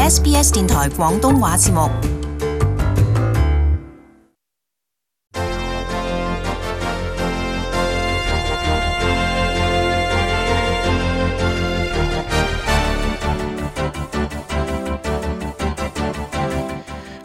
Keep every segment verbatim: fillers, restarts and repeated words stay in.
S B S 電台廣東話節目。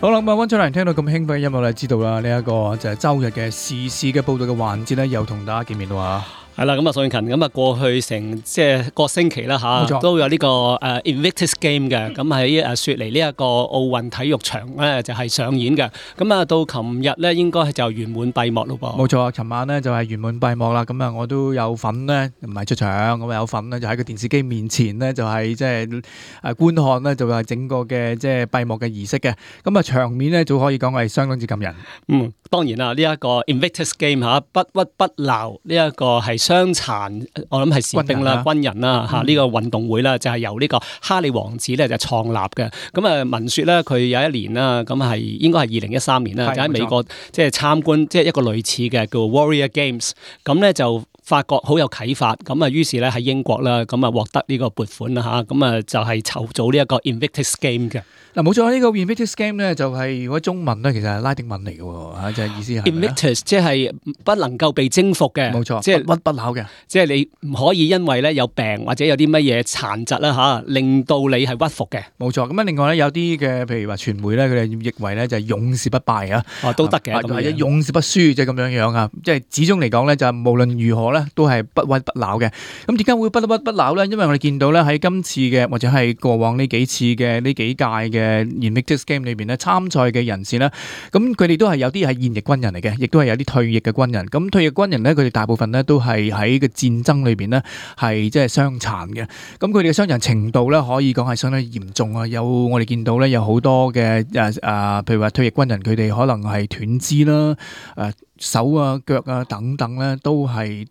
好啦，咁啊，溫出嚟聽到咁興奮嘅音樂咧，知道啦，呢一個就係周日嘅時事嘅報道嘅環節咧，又同大家見面啦。係啦，咁啊，宋永勤，咁啊，過去成即係個星期啦嚇，都有呢個誒 Invictus Game 嘅，咁喺誒雪梨呢一個奧運體育場咧就係上演嘅，咁啊到琴日咧應該就圓滿閉幕咯噃。冇錯啊，琴晚咧就係圓滿閉幕啦，咁啊我都有份咧，唔係出場，咁啊有份咧就喺個電視機面前咧就係即係誒觀看咧就係整個嘅即係閉幕嘅儀式嘅，咁啊場面咧就可以講係相當之感人。嗯，當然啦，呢一個 Invictus Game 嚇不屈不撓，呢一個係傷殘。我諗係士兵啦、軍人啦嚇，呢個運動會啦，就係由呢個哈利王子咧就創立嘅。咁啊，聞說咧佢有一年啦，咁係應該係二零一三年啦，就喺美國即係參觀即係一個類似嘅叫 Warrior Games，咁咧就發覺好有啟發，咁啊於是咧喺英國啦，咁啊獲得呢個撥款啦嚇，咁啊就係籌組呢一個 Invictus Game 嘅。嗱冇錯，呢個 Invictus Game 咧就係如果中文咧其實係拉丁文嚟嘅喎嚇，就係意思係 Invictus 即係不能夠被征服嘅，冇錯，即係不屈不撓嘅，即係你唔可以因為咧有病或者有啲乜嘢殘疾啦嚇，令到你係屈服嘅。冇錯，咁啊另外咧有啲嘅譬如話傳媒咧，佢哋譯為咧就係勇士不敗啊，哦都得嘅，或者勇士不輸，即係咁樣樣啊，即係始終嚟講咧就係無論如何咧都係不屈不撓嘅。咁點解會不屈不撓咧？因為我哋見到咧喺今次嘅或者係過往呢幾次嘅呢幾屆嘅 Invictus Game 裏邊咧參賽嘅人士咧，咁佢哋都係有啲係現役軍人嚟嘅，亦都係有啲退役嘅軍人。咁退役軍人咧，佢哋大部分咧都係喺個戰爭裏邊咧係即係傷殘嘅。咁佢哋嘅傷殘程度咧可以講係相當嚴重啊！有我哋見到咧有好多嘅誒誒，譬如話退役軍人，佢哋可能係斷肢啦、誒手啊、腳啊等等咧，都係。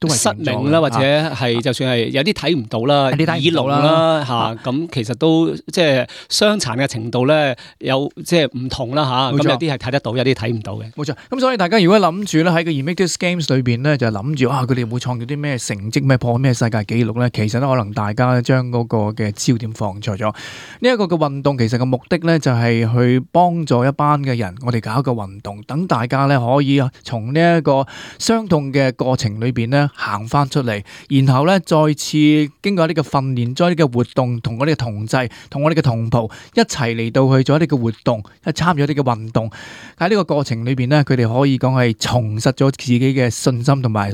都失明啦，或者係就算係有啲睇唔到啦，耳聾啦嚇，咁其實都即係傷殘嘅程度咧，有即係唔同啦嚇。咁有啲係睇得到，有啲睇唔到嘅。冇錯。咁所以大家如果諗住咧喺個 Invictus Games 裏邊咧，就諗住啊，佢哋會創造啲咩成績、咩破咩世界紀錄咧？其實咧，可能大家將嗰個嘅焦點放錯咗。呢一個嘅運動其實嘅目的咧，就係去幫助一班嘅人，我哋搞一個運動，等大家咧可以從呢一個傷痛嘅過程裏邊咧。行翻出嚟，然後咧再次經過呢個訓練，再呢個活動，同我哋嘅同濟，同我哋嘅同袍一齊嚟到去做呢個活動，一參與呢個運動。喺呢個過程裏邊咧，佢哋可以講係重拾咗自己嘅信心，同埋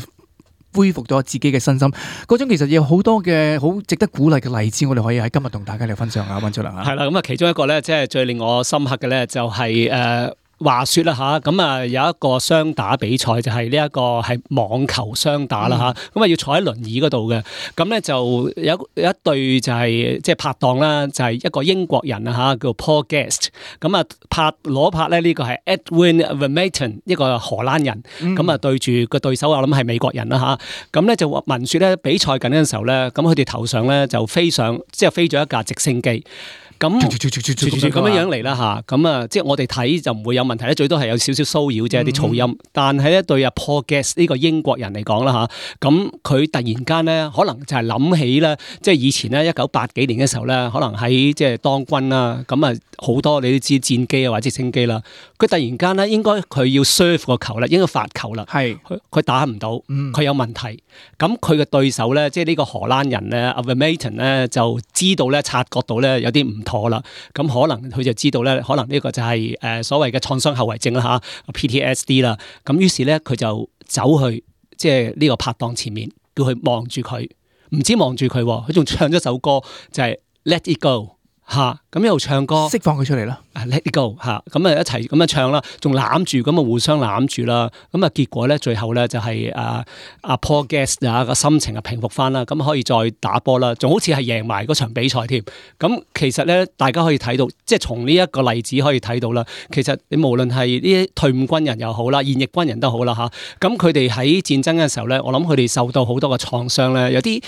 恢復咗自己嘅身心。嗰種其實有好多嘅好值得鼓勵嘅例子，我哋可以喺今日同大家嚟分享下。溫出嚟啊，係啦，咁啊，其中一個咧，即係最令我深刻嘅咧，就係誒。話說啦嚇，咁啊有一個雙打比賽就係呢一個係網球雙打啦嚇，咁啊要坐喺輪椅嗰度嘅，咁咧就有有一對就係即係拍檔啦，就係一個英國人啊嚇，叫 Paul Guest，咁啊拍攞拍咧呢個係 Edwin Vermeten 一個荷蘭人，咁啊對住個對手我諗係美國人啦嚇，咁咧就聞說咧比賽緊嘅時候咧，咁佢哋頭上咧就飛上即係飛咗一架直升機。咁咁樣樣嚟啦嚇，咁啊即係我哋睇就唔會有問題咧，最多係有少少騷擾啫，啲噪音。嗯、但係咧對阿 Paul Guest 呢個英國人嚟講啦嚇，咁佢突然間咧可能就係諗起咧，即係以前咧一九八幾年嘅時候咧，可能喺即係當軍啦，咁啊好多你都知戰機啊或者直升機啦，佢突然間咧應該佢要 serve 個球啦，應該發球啦，係佢佢打唔到，佢、嗯、有問題。咁佢嘅對手咧，即係呢個荷蘭人咧 Vermeten 咧就知道咧察覺到咧有啲唔妥啦，咁可能佢就知道咧，可能呢個就係誒所謂嘅創傷後遺症啦嚇 P T S D 啦，咁於是咧佢就走去即係呢個拍檔前面，叫佢望住佢，唔止望住佢，佢仲唱咗首歌就係 Let It Go 嚇，咁一路唱歌釋放佢出嚟啦。Let it go 嚇，咁啊一齊咁樣唱啦，仲攬住咁啊互相攬住啦，咁啊結果咧最後咧就係啊阿 Paul Guest 啊個心情啊平復翻啦，咁可以再打波啦，仲好似係贏埋嗰場比賽添。咁其實咧大家可以睇到，即係從呢一個例子可以睇到啦。其實你無論係呢啲退伍軍人又好啦，現役軍人都好啦嚇，咁佢哋喺戰爭嘅時候咧，我諗佢哋受到好多嘅創傷咧，有啲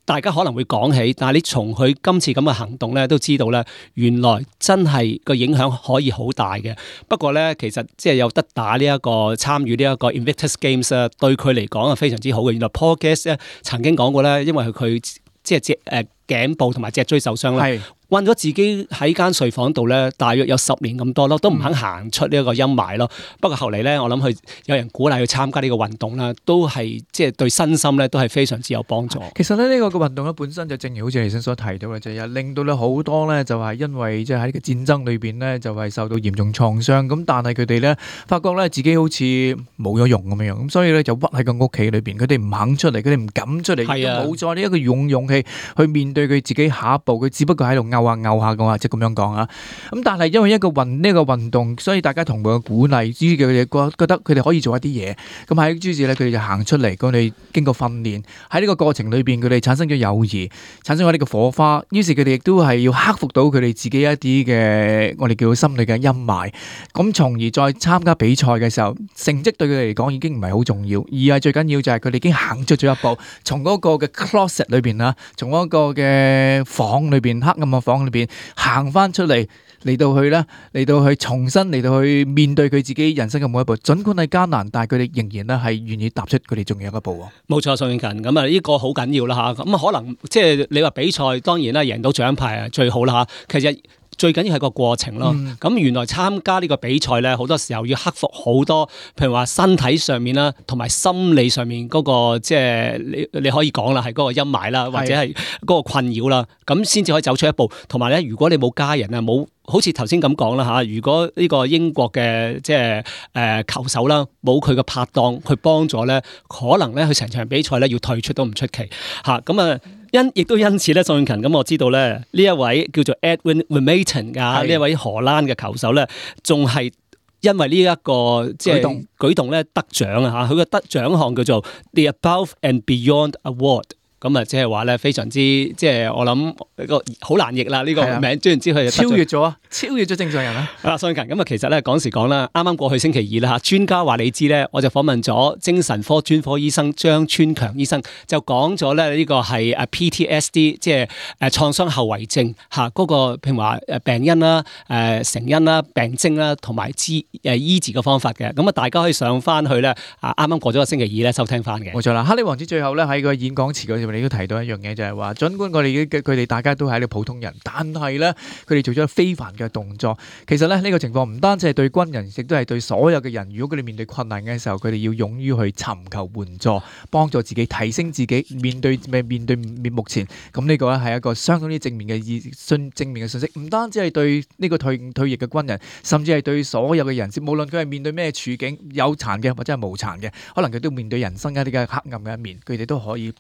大家可能會講起，但係你從佢今次咁嘅行動咧都知道咧，原來真係個影響可以好大嘅。不過咧，其實即係有得打呢、這、一個參與呢一個 Invictus Games 啊，對佢嚟講係非常之好嘅。原來 Paul Guest 咧曾經講過咧，因為佢即係誒頸部同埋脊椎受傷啦。係困咗自己喺間睡房度咧，大約有十年咁多咯，都唔肯行出呢一個陰霾咯。不過後嚟咧，我諗佢有人鼓勵佢參加呢個運動啦，都係即係對身心咧都係非常之有幫助。其實咧呢個嘅運動咧本身就正如好似你先所提到嘅，就係令到咧好多咧就係因為即係喺呢個戰爭裏邊咧就係受到嚴重創傷，咁但係佢哋咧發覺咧自己好似冇咗用咁樣樣，咁所以咧就屈喺個屋企裏邊，佢哋唔肯出嚟，佢哋唔敢出嚟，係啊，冇再呢一個勇勇氣去面對佢自己下一步，佢只不過喺度拗下拗下嘅話，即係咁樣講啊。咁但係因為一個運呢個運動，所以大家同佢嘅鼓勵，於是佢哋覺覺得佢哋可以做一啲嘢。咁喺於是咧，佢哋就行出嚟，佢哋經過訓練，喺呢個過程裏邊，佢哋產生咗友誼，產生咗呢個火花。於是佢哋亦都係要克服到佢哋自己一啲嘅我哋叫心理嘅陰霾。咁從而再參加比賽嘅時候，成績對佢哋嚟講已經唔係好重要，而係最緊要就係佢哋已經行出咗一步，從嗰個嘅 closet 裏邊啦，從嗰個嘅房裏邊黑暗嘅房裏邊行翻出嚟，嚟到去咧，嚟到去重新嚟到去面對佢自己人生嘅每一步，儘管係艱難，但係佢哋仍然咧係願意踏出佢哋仲有一步喎。冇錯，宋永勤，咁啊呢個好緊要啦嚇。咁啊可能即係你話比賽當然啦，贏到獎牌啊最好啦嚇。其實最緊要係個過程咯。咁、嗯、原來參加呢個比賽咧，好多時候要克服好多，譬如話身體上面啦，同埋心理上面嗰、那個即係你你可以講啦，係嗰個陰霾啦，或者係嗰個困擾啦，咁先至可以走出一步。同埋咧，如果你冇家人啊，冇好似頭先咁講啦嚇，如果呢個英國嘅即係誒球手啦，冇佢嘅拍檔去幫助咧，可能咧佢成場比賽咧要退出都唔出奇嚇。咁啊〜因亦都因此咧，宋永勤咁我知道咧，呢一位叫做 Edwin Vermeulen 㗎，呢一位荷蘭嘅球手咧，仲係因為呢一個即係舉動舉動咧得獎啊嚇，佢嘅得獎項叫做 The Above and Beyond Award。咁啊，即係話咧，非常之即係我諗個好難譯啦呢個名，總言之佢超越咗啊，超越咗正常人啦。啊，宋永勤咁啊，其實咧講時講啦，啱啱過去星期二啦嚇，專家話你知咧，我就訪問咗精神科專科醫生張川強醫生，就講咗咧呢個係誒 P T S D， 即係誒創傷後遺症嚇嗰個譬如話誒病因啦、誒成因啦、病徵啦，同埋治誒醫治嘅方法嘅。咁啊，大家可以上翻去咧啊，啱啱過咗個星期二咧收聽翻嘅。冇錯啦，哈利王子最後咧喺個演講詞嗰度，你都提到一樣嘢，就係話，儘管我哋佢哋大家都係啲普通人，但係咧佢哋做咗非凡嘅動作。其實咧呢個情況唔單止係對軍人，亦都係對所有嘅人。如果佢哋面對困難嘅時候，佢哋要勇於去尋求援助，幫助自己提升自己，面對面對面目前。咁呢個咧係一個相當之正面嘅意信正面嘅信息。唔單止係對呢個退退役嘅軍人，甚至係對所有嘅人，無論佢係面對咩處境，有殘嘅或者係無殘嘅，可能佢都面對人生一啲嘅黑暗嘅一面，佢哋都可以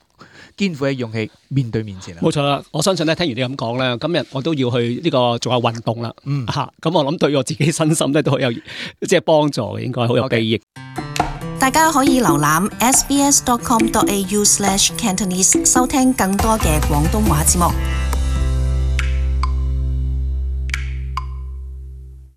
肩負起勇氣面對面前啦。冇錯啦，我相信咧，聽完你咁講咧，今日我都要去呢個做下運動啦。嗯，嚇，咁我諗對我自己身心咧都好有即係幫助嘅，應該好有裨益。大家可以瀏覽 s b s dot com dot a u slash cantonese 收聽更多嘅廣東話節目。